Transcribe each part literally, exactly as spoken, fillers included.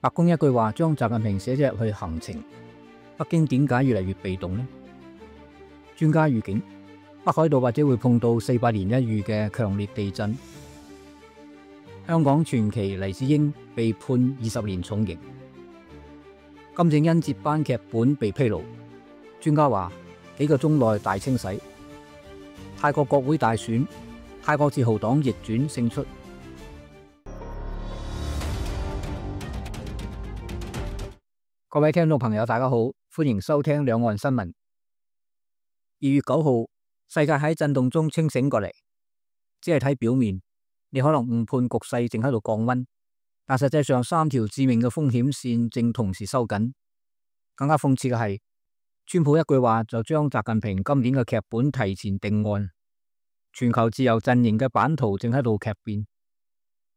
白宮一句話將習近平寫咗入去行程，北京點解越嚟越被動呢？專家預警，北海道或者會碰到四百年一遇嘅強烈地震。香港傳奇黎智英被判二十年重刑。金正恩接班劇本被披露，專家話幾個鐘內大清洗。泰國國會大選，泰國自豪黨逆轉勝出。各位聽眾朋友，大家好，歡迎收聽兩岸新聞。二月九號，世界喺震動中清醒過嚟，只係睇表面，你可能誤判局勢正喺度降溫，但實際上三條致命嘅風險線正同時收緊。更加諷刺嘅係，川普一句話就將習近平今年嘅劇本提前定案。全球自由陣營嘅版圖正喺度劇變。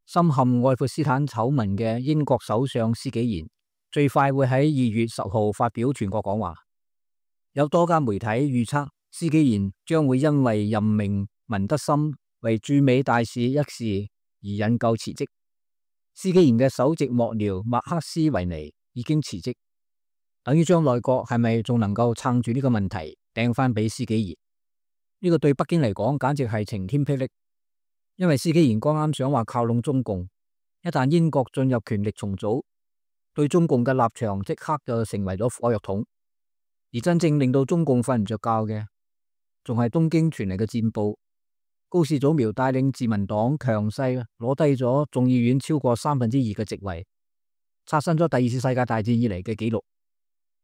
深陷愛潑斯坦醜聞嘅英國首相施紀賢最快會喺二月十號發表全國講話。有多家媒體預測，施紀賢將會因為任命文德森為駐美大使一事而引咎辭職。施紀賢嘅首席幕僚麥克斯維尼已經辭職，等於將內閣係咪仲能夠撐住呢個問題掟翻俾施紀賢。呢個對北京嚟講簡直係晴天霹靂，因為施紀賢剛啱想話靠攏中共，一旦英國進入權力重組，對中共嘅立場即刻就成為咗火藥桶。而真正令到中共瞓唔着覺嘅，仲係東京傳嚟嘅戰報。高市早苗帶領自民黨強勢攞低咗眾議院超過三分之二嘅席位，刷新咗第二次世界大戰以嚟嘅紀錄。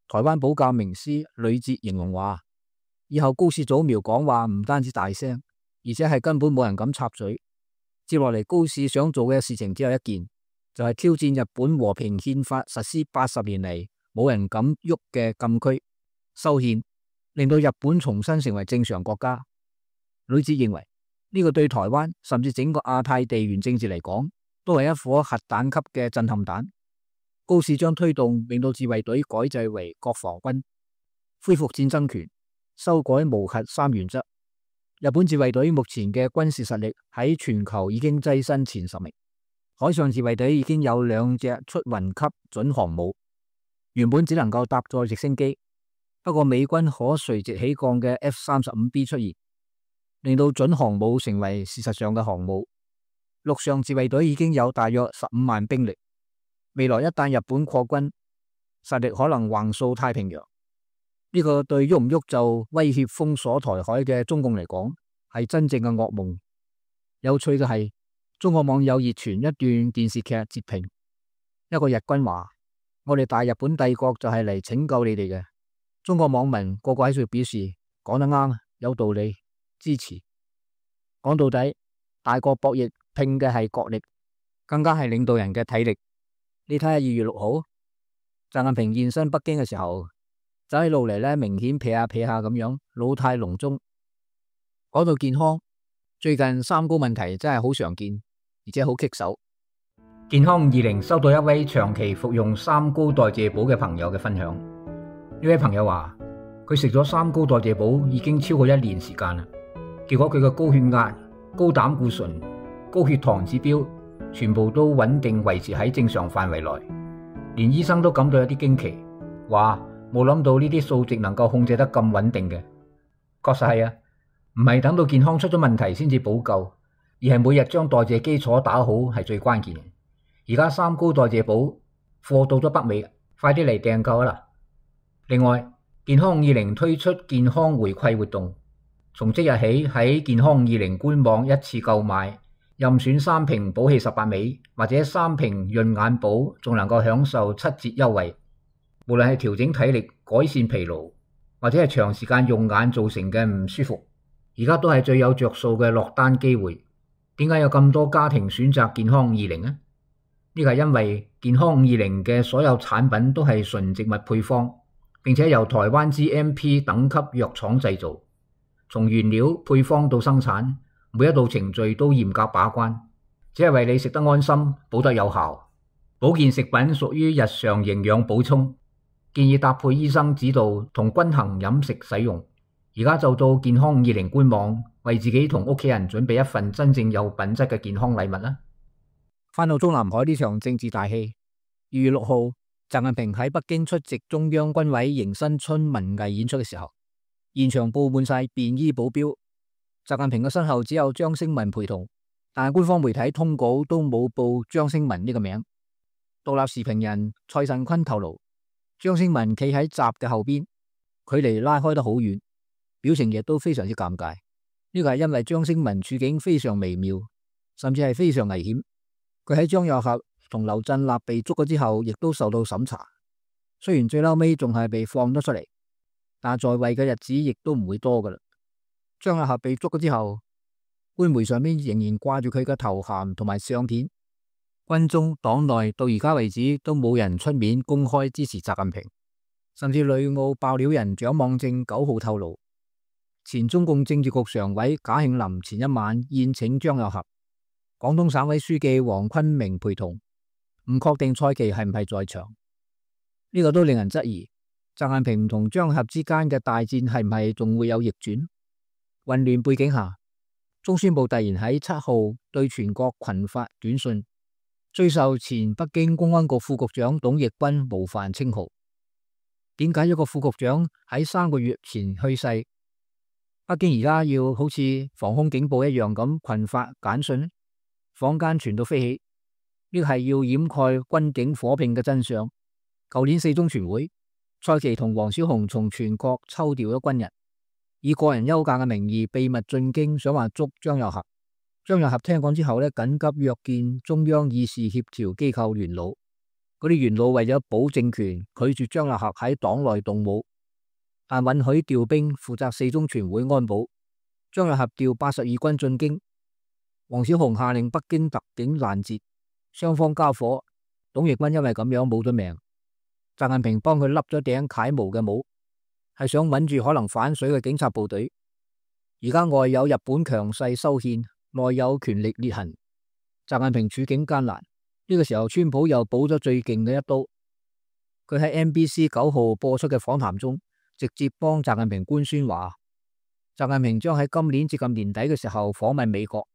台灣保教名師呂捷形容話，以後高市早苗講話唔單止大聲，而且係根本冇人敢插嘴。接落嚟高市想做嘅事情只有一件，就係挑戰日本和平憲法實施八十年嚟冇人敢喐嘅禁區，修憲，令到日本重新成為正常國家。呂捷認為呢個對台灣甚至整個亞太地緣政治嚟講，都係一顆核彈級嘅震撼彈。高市將推動令到自衛隊改制為國防軍，恢復戰爭權，修改無核三原則。日本自衛隊目前嘅軍事實力喺全球已經躋身前十名。海上自衛隊已經有兩隻出雲級準航母，原本只能夠搭載直升機，不過美軍可垂直起降嘅 F 三十五 B 出現，令到準航母成為事實上嘅航母。陸上自衛隊已經有大約十五萬兵力，未來一旦日本擴軍，實力可能橫掃太平洋。呢、這個對喐唔喐就威脅封鎖台海嘅中共嚟講，係真正嘅噩夢。有趣嘅係，中國網友熱傳一段電視劇截屏，一個日軍話：我哋大日本帝國就係嚟拯救你哋嘅。中國網民個個喺度表示講得啱，有道理，支持。講到底，大國博弈拼嘅係國力，更加係領導人嘅體力。你睇下二月六號，習近平現身北京嘅時候，走喺路嚟咧，明顯撇下撇下咁樣，老態龍鍾。講到健康，最近三高問題真係好常見，而且好棘手。健康五二零收到一位長期服用三高代謝寶嘅朋友嘅分享。呢位朋友話，佢食咗三高代謝寶已經超過一年時間啦，結果佢嘅高血壓、高膽固醇、高血糖指標全部都穩定維持喺正常範圍內，連醫生都感到有啲驚奇，話冇諗到呢啲數值能夠控制得咁穩定嘅。確實係啊，唔係等到健康出咗問題先至補救，而係每日將代謝基礎打好係最關鍵。而家三高代謝寶貨到咗北美，快啲嚟訂購啦！另外，健康五二零推出健康回饋活動，從即日起喺健康五二零官網一次購買，任選三瓶寶氣十八味或者三瓶潤眼寶，仲能夠享受七折優惠。無論係調整體力、改善疲勞，或者係長時間用眼造成嘅唔舒服，而家都係最有着數嘅落單機會。點解有咁多家庭選擇健康五二零呢？呢個係因為健康五二零嘅所有產品都係純植物配方，並且由台灣 G M P 等級藥廠製造，從原料配方到生產，每一道程序都嚴格把關，只係為你食得安心、補得有效。保健食品屬於日常營養補充，建議搭配醫生指導同均衡飲食使用。而家就到健康五二零官網，為自己同屋企人準備一份真正有品質嘅健康禮物啦！翻到中南海呢場政治大戲，二月六號，習近平喺北京出席中央軍委迎新春文藝演出嘅時候，現場布滿晒便衣保鏢。習近平嘅身後只有張星文陪同，但係官方媒體通稿都冇報張星文呢個名。獨立時評人蔡慎坤透露，張星文企喺習嘅後邊，距離拉開得好遠，表情亦都非常之尷尬。呢個係因為張星文處境非常微妙，甚至係非常危險。佢喺張又俠同劉振立被捉咗之後，亦都受到審查。雖然最嬲尾仲係被放咗出嚟，但在位嘅日子亦都唔會多噶啦。張又俠被捉咗之後，官媒上面仍然掛住佢嘅頭銜同埋相片。軍中黨內到而家為止都冇人出面公開支持習近平，甚至旅澳爆料人蔣望正九號透露，前中共政治局常委賈慶林前一晚宴請張又俠，廣東省委書記黃坤明陪同，唔確定蔡奇係唔係在場。呢、這個都令人質疑，習近平同張又俠之間嘅大戰係唔係仲會有逆轉？混亂背景下，中宣部突然喺七號對全國群發短信，追授前北京公安局副局長董奕君模範稱號。點解一個副局長喺三個月前去世，北京而家要好似防空警報一樣咁群發簡訊呢？坊間傳到飛起，呢個係要掩蓋軍警火拼嘅真相。舊年四中全會，蔡奇同王小洪從全國抽調咗軍人，以個人休假嘅名義秘密進京，想話捉張又俠。張又俠聽講之後呢，緊急約見中央議事協調機構元老。嗰啲元老為咗保政權，拒絕張又俠喺黨內動武，但允許調兵負責四中全會安保。張又俠調八十二軍進京，王小洪下令北京特警攔截，雙方交火。董奕君因為咁樣冇咗命，習近平幫佢笠咗頂楷模嘅帽，係想穩住可能反水嘅警察部隊。而家外有日本強勢修憲，內有權力裂痕，習近平處境艱難。呢、這個時候，川普又補咗最勁嘅一刀。佢喺 N B C 九號播出嘅訪談中，直接幫習近平官宣話，習近平將喺今年接近年底嘅時候訪問美國，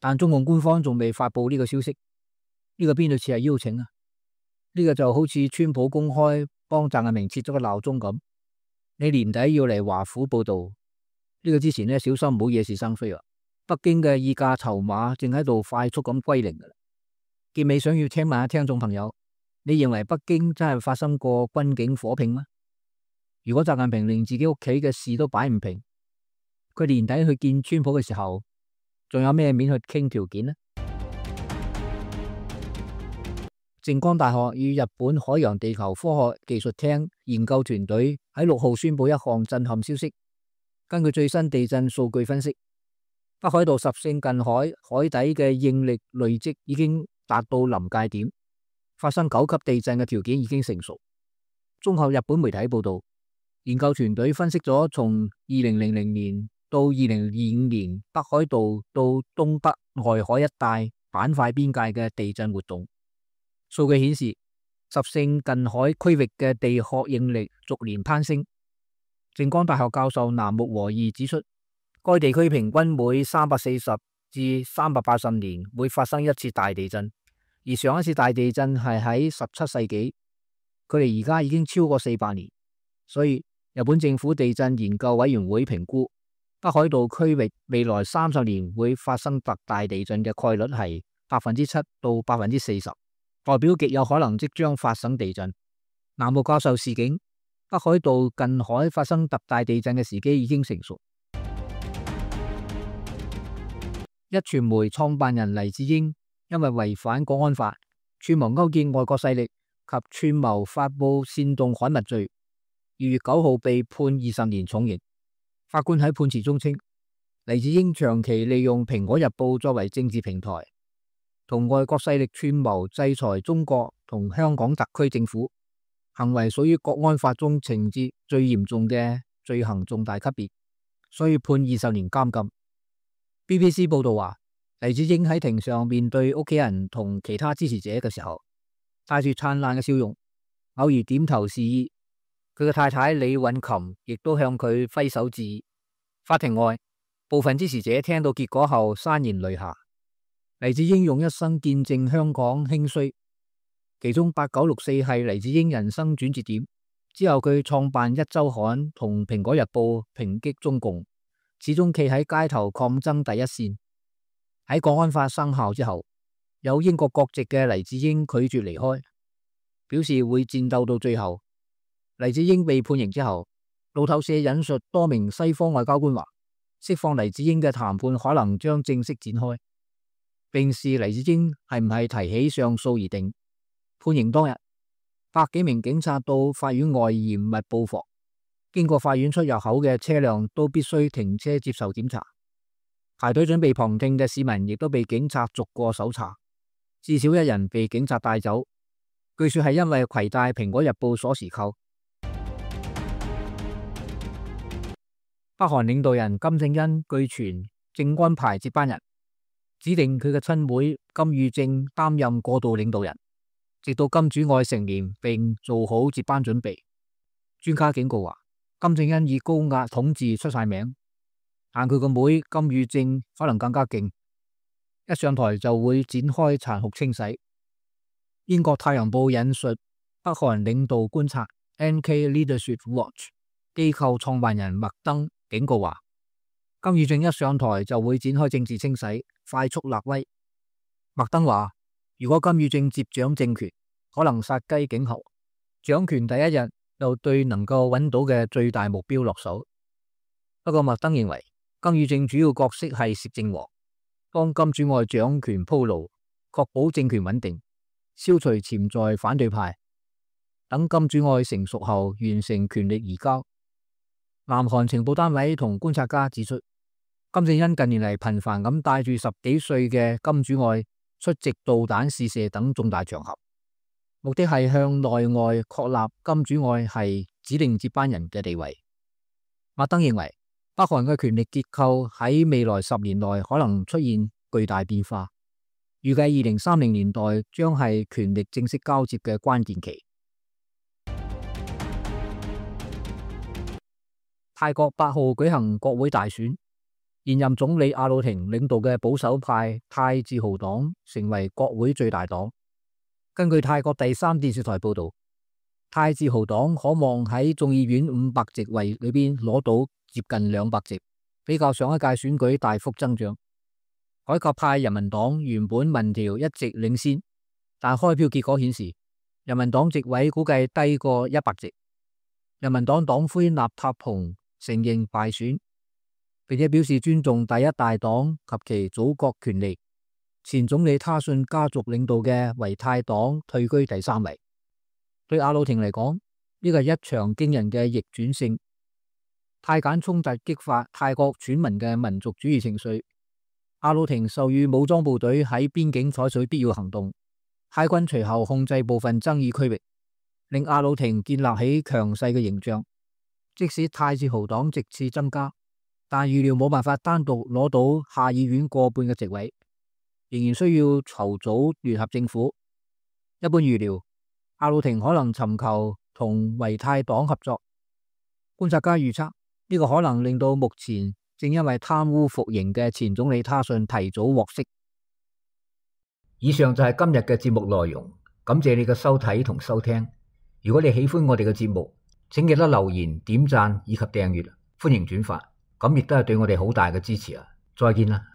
但中共官方仲未發佈呢個消息。呢、這個邊度似係邀請啊？呢、這個就好似川普公開幫習近平設咗個鬧鐘咁。你年底要嚟華府報道，呢、這個之前呢，小心唔好惹是生非啊！北京嘅議價籌碼正喺度快速咁歸零噶啦。結尾想要請問下聽眾朋友，你認為北京真係發生過軍警火拼嗎？如果習近平連自己屋企嘅事都擺唔平，佢年底去見川普嘅時候，仲有咩面去傾條件呢？靜岡大學與日本海洋地球科學技術廳研究團隊喺六號宣布一項震撼消息。根據最新地震數據分析，北海道十勝近海海底嘅應力累積已經達到臨界點，發生九級地震嘅條件已經成熟。綜合日本媒體報道，研究團隊分析咗從二零零零年到二零二五年北海道到東北外海一帶板塊邊界嘅地震活動。數據顯示，十勝近海區域嘅地殼應力逐年攀升。靜岡大學教授南木和義指出，該地區平均每三百四十至三百八十年會發生一次大地震，而上一次大地震係喺十七世紀，佢哋而家已經超過四百年。所以日本政府地震研究委員會評估，北海道區域未來三十年會發生特大地震嘅概率係百分之七到百分之四十。代表極有可能即將發生地震。南木教授示警，北海道近海發生特大地震嘅時機已經成熟。壹傳媒創辦人黎智英因為違反國安法、串謀勾結外國勢力及串謀發布煽動刊物罪，二月九號被判二十年重刑。法官喺判詞中稱，黎智英長期利用蘋果日報作為政治平台，同外國勢力串謀制裁中國同香港特區政府，行為屬於國安法中情節最嚴重嘅罪行重大級別，所以判二十年監禁。B B C 報道話，黎智英喺庭上面對屋企人同其他支持者嘅時候，帶住燦爛嘅笑容，偶爾點頭示意。佢嘅太太李允琴亦都向佢揮手致意。法庭外，部分支持者聽到結果後潸然淚下。黎智英用一生見證香港興衰，其中八九六四係黎智英人生轉折點。之後佢創辦一周刊同蘋果日報抨擊中共，始終企喺街頭抗爭第一線。喺國安法生效之後，有英國國籍嘅黎智英拒絕離開，表示會戰鬥到最後。黎智英被判刑之後，路透社引述多名西方外交官話，釋放黎智英嘅談判可能將正式展開，並視黎智英係唔係提起上訴而定。判刑當日，百幾名警察到法院外嚴密布防，經過法院出入口嘅車輛都必須停車接受檢查。排隊準備旁聽嘅市民亦都被警察逐個搜查，至少一人被警察帶走，據說係因為攜帶蘋果日報鎖匙扣。北韓領導人金正恩據傳正安排接班人，指定佢嘅親妹金與正擔任過渡領導人，直到金主愛成年並做好接班準備。專家警告話，金正恩以高壓統治出晒名，但佢個妹金與正可能更加勁，一上台就會展開殘酷清洗。英國太陽報引述北韓領導觀察 N K Leadership Watch 機構創辦人麥登警告話，金與正一上台就會展開政治清洗，快速立威。麥登話，如果金與正接掌政權，可能殺雞儆猴，掌權第一日就對能夠揾到嘅最大目標落手。不過麥登認為，金與正主要角色係攝政王，幫金主愛掌權鋪路，確保政權穩定，消除潛在反對派，等金主愛成熟後完成權力移交。南韓情報單位同觀察家指出，金正恩近年嚟頻繁咁帶住十幾歲嘅金主愛出席導彈試射等重大場合，目的係向內外確立金主愛係指定接班人嘅地位。麥登認為，北韓嘅權力結構喺未來十年內可能出現巨大變化，預計二零三零年代將係權力正式交接嘅關鍵期。泰國八號舉行國會大選，現任總理阿魯廷領導嘅保守派泰自豪黨成為國會最大黨。根據泰國第三電視台報道，泰自豪黨可望喺眾議院五百席位裏邊攞到接近兩百席，比較上一屆選舉大幅增長。改革派人民黨原本民調一直領先，但開票結果顯示，人民黨席位估計低過一百席。人民黨黨魁納塔蓬承認敗選，並且表示尊重第一大黨及其祖國權利。前總理他信家族領導嘅維泰黨退居第三位。對阿魯廷嚟講，呢個係一場驚人嘅逆轉勝。泰柬衝突激發泰國選民嘅民族主義情緒。阿魯廷授予武裝部隊喺邊境採取必要行動，泰軍隨後控制部分爭議區域，令阿魯廷建立起強勢嘅形象。即使泰自豪黨席次增加，但預料冇辦法單獨攞到下議院過半嘅席位，仍然需要籌組聯合政府。一般預料，阿魯廷可能尋求同維泰黨合作。觀察家預測，呢個可能令到目前正因為貪污服刑嘅前總理他信提早獲釋。以上就係今日嘅節目內容，感謝你嘅收睇同收聽。如果你喜歡我哋嘅節目，請記得留言、點讚以及訂閱，歡迎轉發，咁亦都係對我哋好大嘅支持啊！再見啦！